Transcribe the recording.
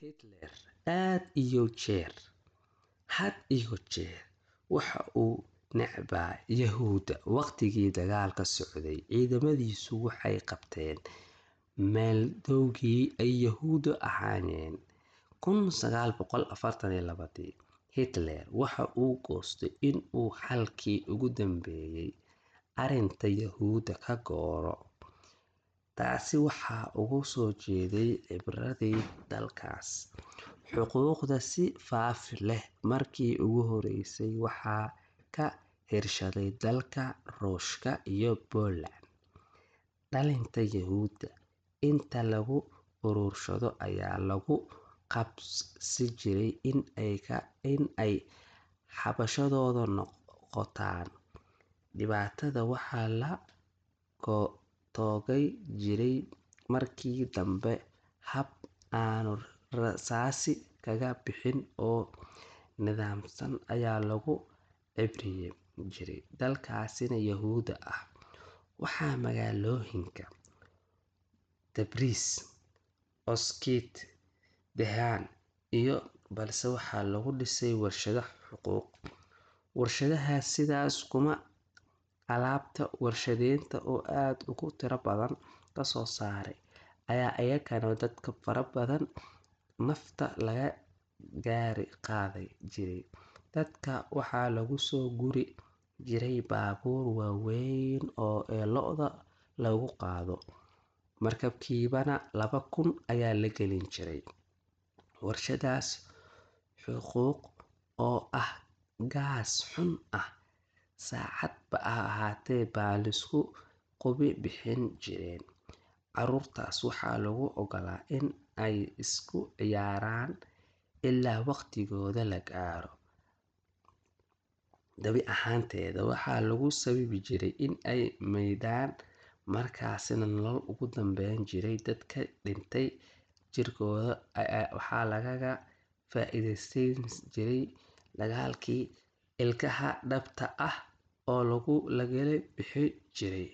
Hitler had iyo jeer waxa uu necbaa Yuhuudda. Waqtigii dagaalka socday, ciidamadiisu waxay qabteen meeldhowgii ay Yuhuuddu ahaayeen. 1942 Hitler waxa uu goostay in uu xalkii ugu dambeeyay arrinta Yuhuudda ka gaaro. Taasi waxa uga soo jeeday cibriyada dalkaas. Xuquuqda si faafi leh markii ugu horeysay waxaa ka hirshaday dalalka Ruushka iyo Poland. Dhalinta Yuhuudda inta lagu uruursado ayaa lagu khasbi jiray in ay xabaashooda qotaan. Dabadeedna waxaa la toogan jiray markii dambe hab aanu rasaasi kaga bixin oo nidaamsan ayaa loogu cibriyin jiray dadkaasi Yuhuudda ah. Waxaa magaalooyinka Tabriz, Auschwitz, Dachau iyo balse waxaa lagu dhisay warshado xuquuq. Warshadahaas sidaas kuma alaabta warshadeynta oo aad ugu tiro badan kasoo saaray ayaa iyagana dadka fara badan nafta laga gaari qaaday jiray. Dadka waxaa lagu soo guri jiray baabuur waaweyn oo ee lo'da lagu qaado. Markabkiibana 2000 ayaa la gelin jiray. Warshadaas xuquuq oo ah gaas xun ah saacadba ha ahaatee baa laisku qubi bixin jireen. Caruurtaas waxaa lagu ogolaa in ay isku ciyaaraan ilaa waqtigooda la gaaro. Dabi ahaanteeda waxaa lagu sababi jiray in ay maydhaan, markaasina nolol ugu dambeyn jiray. Dadka dhintay jirkooda waxaa lagaga faa'iidaysan jiray dagaalkii. Ilkaha dhabta ah oo lagala bixi jiray.